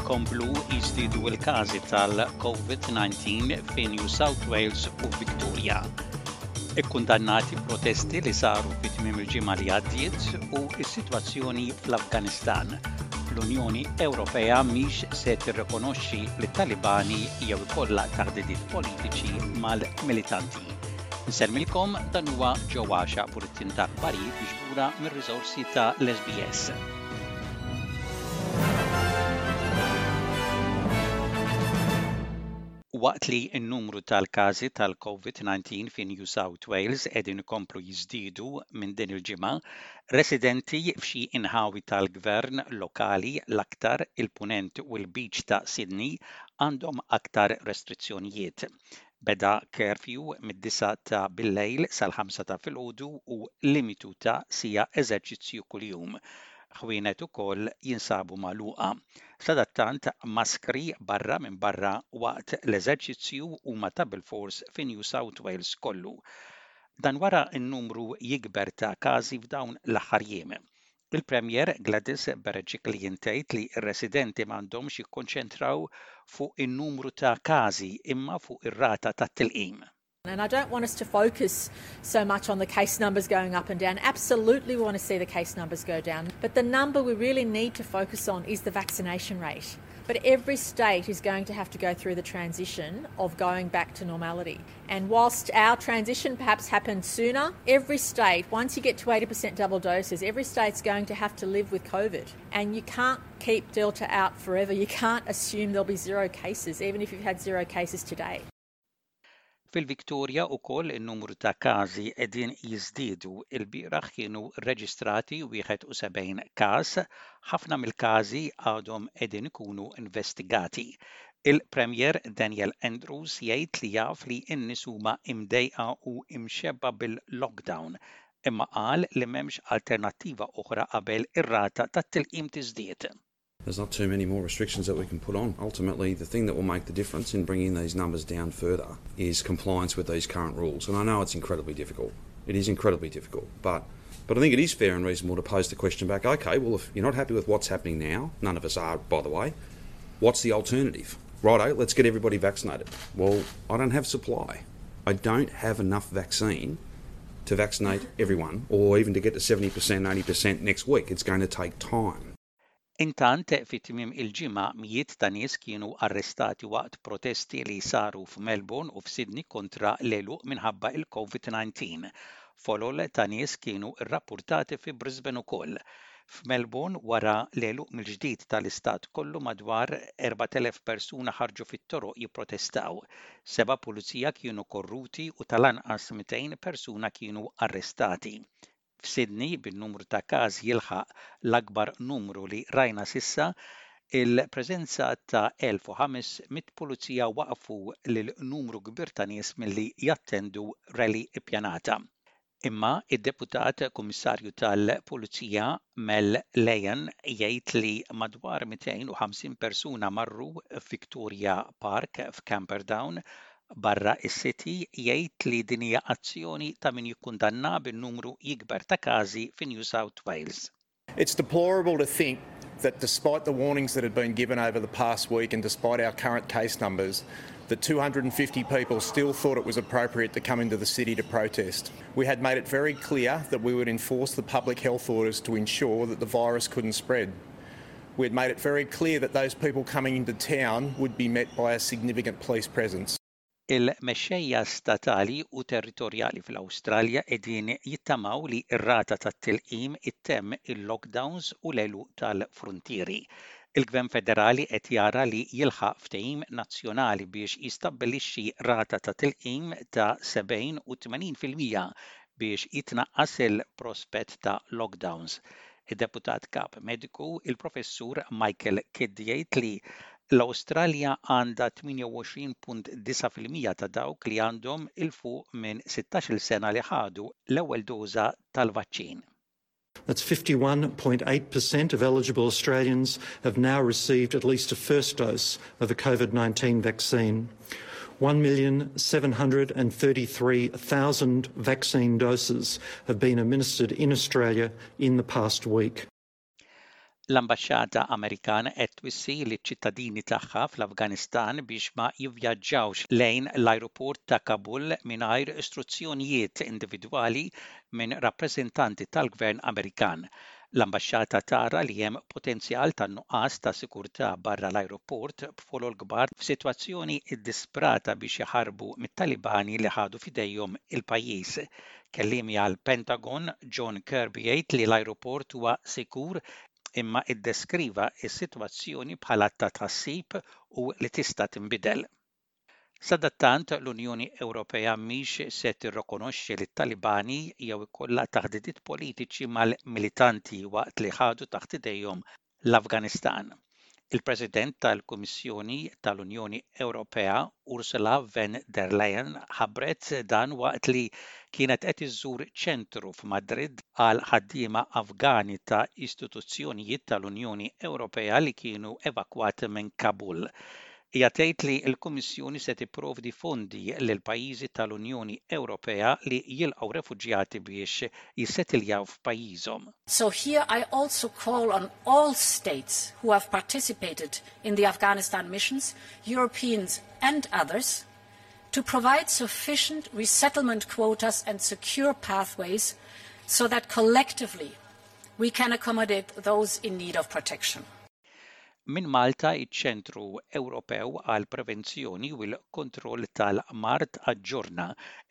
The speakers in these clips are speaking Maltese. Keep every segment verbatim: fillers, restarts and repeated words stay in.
Ikomplu jiżdiedu l-każi tal-COVID nineteen fi New South Wales u Victoria. Ikkundannati protesti li saru fi tmiem il-ġimgħa li għaddiet u s-sitwazzjoni fl-Afganistan. L-Unjoni Ewropea mhix se tirrikonoxxi lit-Talibani jew ikollha taħdidiet politiċi mal-militanti. Nsellmilkom, dan huwa Joe Axiaq, bulletin ta' aħbarijiet miġbura mir-riżorsi ta' l-S B S. Waqt li n-numru tal-każi tal-COVID nineteen fi New South Wales qegħdin ikomplu jiżdiedu minn din il-ġimgħa, residenti f'xi inħawi tal-gvern lokali, l-aktar il-punent u l-Lbiċ ta' Sydney, għandhom aktar restrizzjonijiet. Beda curfew mid-disgħa ta' billejl sal-ħamsa ta' filgħodu u limitu ta' siegħa eżerċizzju kuljum. Ħwienet ukoll jinsabu magħluqa. Sadattant, maskri barra minn barra waqt l-eżerċizzju huma ta' bilfors fi New South Wales kollu. Dan wara n-numru jikber ta' każi f'dawn l-aħħar jiem. Il-Premier Gladys Berejiklian tgħid li r-residenti m'għandhomx jikkonċentraw fuq in-numru ta' każi imma fuq ir-rata tat-tilqim. And I don't want us to focus so much on the case numbers going up and down. Absolutely, we want to see the case numbers go down. But the number we really need to focus on is the vaccination rate. But every state is going to have to go through the transition of going back to normality. And whilst our transition perhaps happened sooner, every state, once you get to eighty percent double doses, every state's going to have to live with COVID. And you can't keep Delta out forever. You can't assume there'll be zero cases, even if you've had zero cases today. Fil-Viktoria ukoll in-numru ta' każi qegħdin jiżdiedu. Il-bieraħ kienu reġistrati wieħed u sebgħin każ, ħafna mill-każi għadhom qegħdin ikunu investigati. Il-Premier Daniel Andrews jgħid li jaf li n-nies huma imdejqa u imxebba bil-lockdown, imma qal li m'hemmx alternattiva oħra qabel ir-rata tat-tilqim tiżdied. There's not too many more restrictions that we can put on. Ultimately, the thing that will make the difference in bringing these numbers down further is compliance with these current rules. And I know it's incredibly difficult. It is incredibly difficult. But, but I think it is fair and reasonable to pose the question back, okay, well, if you're not happy with what's happening now, none of us are, by the way, what's the alternative? Righto, let's get everybody vaccinated. Well, I don't have supply. I don't have enough vaccine to vaccinate everyone or even to get to seventy percent, eighty percent next week. It's going to take time. Intant, fi tmiem il-ġimgħa mijiet ta' nies kienu arrestati waqt protesti li saru f'Melbourne u f'Sydney kontra l-għeluq minħabba il-COVID nineteen. Folol ta' nies kienu rrappurtati fi Brisbane ukoll. F'Melbourne, wara l-għeluq mill-ġdid tal-istat kollu, madwar erbat elef persuna ħarġu fit-toroq jipprotestaw. Seba' pulizija kienu korruti u tal-anqas mitejn persuna kienu arrestati. F'Sydney, bin-numru ta' każi jilħaq l-akbar numru li rajna s'issa, il-preżenza ta' elf u ħames mitt pulizija waqfu lil numru kbir ta' nies milli jattendu rally ippjanata. Imma id-deputat kummissarju tal-Pulizija Mel Lyon jgħid li madwar mitejn u ħamsin persuna marru f'Victoria Park f'Camperdown barra is-City. Jgħid li din hija azzjoni ta' min jikkundanna bin-numru jikber ta' każi fi New South Wales. It's deplorable to think that despite the warnings that had been given over the past week and despite our current case numbers, that two hundred and fifty people still thought it was appropriate to come into the city to protest. We had made it very clear that we would enforce the public health orders to ensure that the virus couldn't spread. We had made it very clear that those people coming into town would be met by a significant police presence. Il-mexxejja statali u territorjali fl-Awstralja qegħdin jittamaw li r-rata tat-tilqim ittemm il-lockdowns u l-għeluq tal-fruntieri. Il-Gvern Federali qed jara li jilħaq ftehim nazzjonali biex jistabbilixxi rata ta' tilqim ta' sebgħin u tmenin fil-mija biex jitnaqqas il-prospett ta' lockdowns. Id-deputat kap mediku, il-professur Michael Kidd, jgħid li l-Awstralja għandha tmienja u għoxrin punt disgħa fil-mija ta' dawk li għandhom 'il fuq minn sittax-il sena li ħadu l-ewwel doża tal-vaċċin. That's fifty-one point eight percent of eligible Australians have now received at least a first dose of a COVID nineteen vaccine. one million seven hundred and thirty-three thousand vaccine doses have been administered in Australia in the past week. L-Ambaxxata Amerikana qed twissi liċ-ċittadini tagħha fl-Afganistan biex ma jivvjaġġawx lejn l-ajruport ta' Kabul mingħajr istruzzjonijiet individwali minn rappreżentanti tal-Gvern Amerikan. L-ambaxxata tara li hemm potenzjal ta' nuqqas ta' sikurtà barra l-ajruport b'folol kbar f'sitwazzjoni iddisprata biex jaħarbu mit-Talibani li ħadu f'idejhom il-pajjiż. Kelliemi għall-Pentagon John Kirby jgħid li l-ajruport huwa sikur imma iddeskriva s-sitwazzjoni bħala ta' tħassib u li tista' tinbidel. Sadattant l-Unjoni Ewropea mhix se tirrikonoxxi lit-Talibani jew ikollha taħdidiet politiċi mal-militanti waqt li ħadu taħt idejhom l-Afganistan. Il-President tal-Kummissjoni tal-Unjoni Ewropea Ursula von der Leyen ħabbret dan waqt li kienet qed iżżur ċentru f'Madrid għal ħaddiema Afgani ta' istituzzjonijiet tal-Unjoni Ewropea li kienu evakwati minn Kabul. Hija tgħid li l-Kummissjoni se tipprovdi fondi lil pajjiżi tal-Unjoni Ewropea li jilqgħu refuġjati biex jissetiljaw f'pajjiżhom. So here I also call on all states who have participated in the Afghanistan missions, Europeans and others, to provide sufficient resettlement quotas and secure pathways so that collectively we can accommodate those in need of protection. Minn Malta, iċ-Ċentru Ewropew għal Prevenzjoni u l-Kontroll tal-Mard aġġorna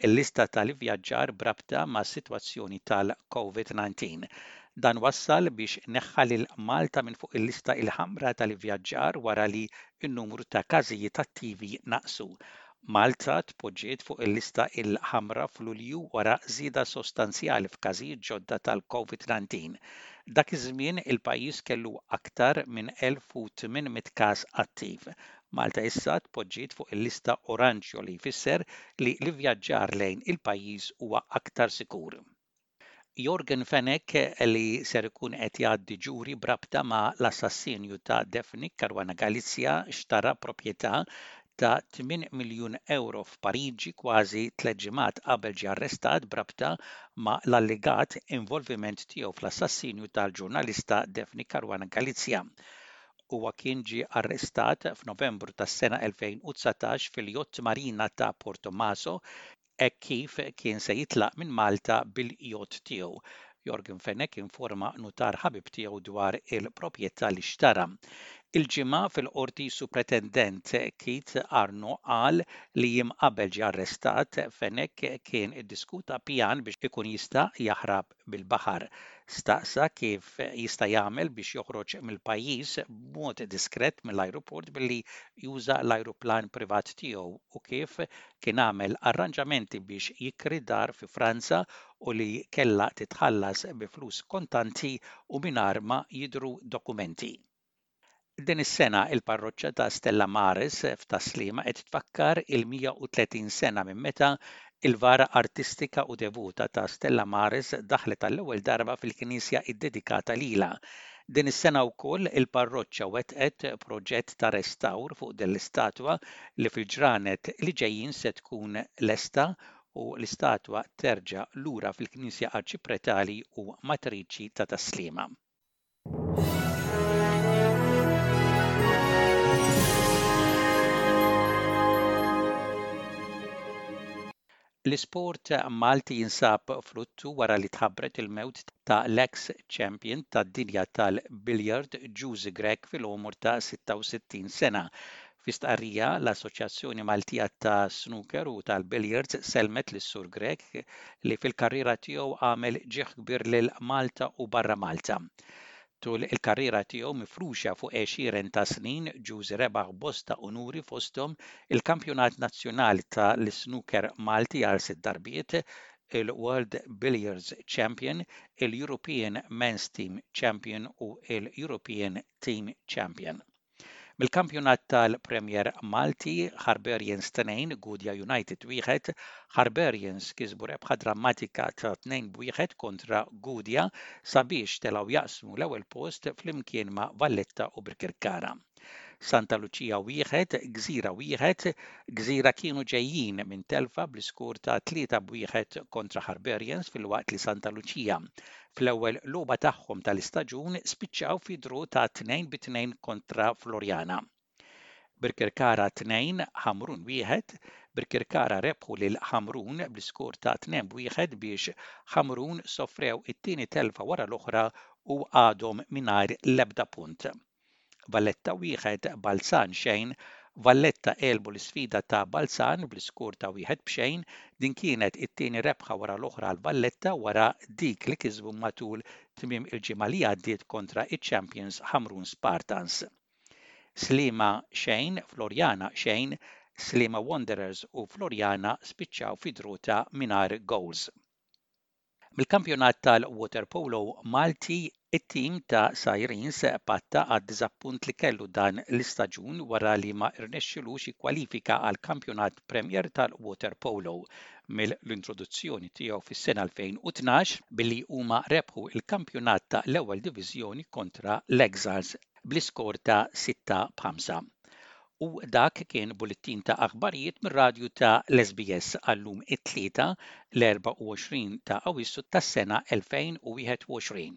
l-lista tal-ivvjaġġar b'rabta mas-sitwazzjoni tal-Covid nineteen. Dan wassal biex neħħa lil Malta minn fuq il-lista il-ħamra tal-ivvjaġġar wara li n-numru ta' każijiet attivi naqsu. Malta tpoġġiet fuq il-lista il-ħamra f'Lulju wara żieda sostanzjali f'każijiet ġodda tal-Covid nineteen. Dak iż-żmien il-pajjiż kellu aktar minn elf u tmien mitt każ attiv. Malta issa tpoġġiet fuq il-lista oranġjo li jfisser li l-ivvjaġġar lejn il-pajjiż huwa aktar sikur. Yorgen Fenech li ser ikun qed jgħaddi ġuri b'rabta ma' l-assassinju ta' Daphne Caruana Galizia xtara proprjetà ta' tmien miljun euro f'Pariġi kważi tliet ġimgħat qabel ġie arrestat b'rabta ma' l-allegat involviment tiegħu fl-assassinju tal-ġurnalista Daphne Caruana Galizia. Huwa kien ġie arrestat f'Novembru tas-sena elfejn u dsatax fil-jott marina ta' Portomaso hekk kif kien se jitlaq minn Malta bil-jott tiegħu. Yorgen Fenech informa nutar ħabib tiegħu dwar il-proprjetà li xtara. Il-ġimgħa fil-qorti Supretendent Keith Arnaud qal li jiem qabel ġie arrestat Fenech kien iddiskuta pjan biex ikun jista' jaħrab bil-baħar. Staqsa kif jista' jagħmel biex joħroġ mill-pajjiż b'mod diskret mill-ajruport billi juża l-ajruplan privat tiegħu u kif kien għamel arranġamenti biex jikri dar fi Franza u li kellha titħallas bi flus kontanti u mingħajr ma jidhru dokumenti. Din is-sena il-parroċċa ta' Stella Maris f'Tas-Sliema qed tfakkar il-mija u tletin sena minn meta il-vara artistika u devuta ta' Stella Maris daħlet għall-ewwel darba fil-knisja iddedikata lilha. Din is-sena wkoll il-parroċċa wettqet proġett ta' restawr fuq din l-istatwa li fil-ġranet li ġejjin se tkun lesta u l-istatwa terġa' lura fil-Knisja Arċipretali u Matriċi ta' Tas-Sliema. L-isport Malti jinsab fluttu wara li tħabbret il-mewt ta' l-ex champion tad-dinja tal-billiard Ġużi Grech fil-għomor ta' sitta u sittin sena. Fi stqarrija, l-Assoċjazzjoni Maltija ta' Snooker u tal-Billiards selmet lis-Sur Grech li fil-karriera tiegħu għamel ġieħ kbir lil Malta u barra Malta. Tul il-karriera tiegħu mifruxa fuq għexieren ta' snin, Ġużi rebaħ bosta unuri fosthom il-Kampjonat Nazzjonali tal-Snooker Malti għal sitt darbiet, il-World Billiards Champion, il-European Men's Team Champion u il-European Team Champion. Mill-kampjonat tal-Premier Malti, Harbarians tnejn, Gudja United wieħed, Harbarians kisbu rebħa drammatika ta' tnejn b'wieħed kontra Gudja sabiex telgħu jaqsmu l-ewwel post flimkien ma' Valletta u Birkirkara. Santa Lucia wieħed, Gżira wieħed. Gżira kienu ġejjin minn telfa bl-iskur ta' tlieta b'wieħed kontra Harbarians, filwaqt li Santa Lucia fl-ewwel logħba tagħhom tal-istaġun spiċċaw fi draw ta' tnejn bi tnejn kontra Floriana. Birkirkara tnejn, Ħamrun wieħed. Birkirkara rebħu lil Ħamrun bl-iskur ta' tnejn b'wieħed biex Ħamrun sofrew it-tieni telfa wara l-oħra u għadhom mingħajr l-ebda punt. Valletta wieħed, Balzan xejn. Valletta għelbu l-isfida ta' Balzan bl-iskur ta' wieħed b'xejn. Din kienet it-tieni rebħa wara l-oħra għal Valletta wara dik li kisbu matul tmiem il-ġimgħa li għaddiet kontra iċ-Champions Ħamrun Spartans. Sliema xejn, Floriana xejn. Sliema Wanderers u Floriana spiċċaw fi draw ta' mingħajr goals. Mill-kampjonat tal-waterpolo Malti, it-tim ta' Sirens patta għad-diżappunt li kellu dan l-istaġun wara li ma rnexxilux jikkwalifika għal kampjonat Premier tal-waterpolo mill-introduzzjoni tiegħu fis-sena elfejn u tnax, billi huma rebħu il-kampjonat ta' l-ewwel diviżjoni kontra l-Exiles bl-iskor ta' sitta b'ħamsa. U dak kien bullettin ta' aħbarijiet mir-radju ta' l-S B S għallum it-Tlieta, l-erbgħa u għoxrin ta' Awissu tas-sena elfejn u wieħed u għoxrin.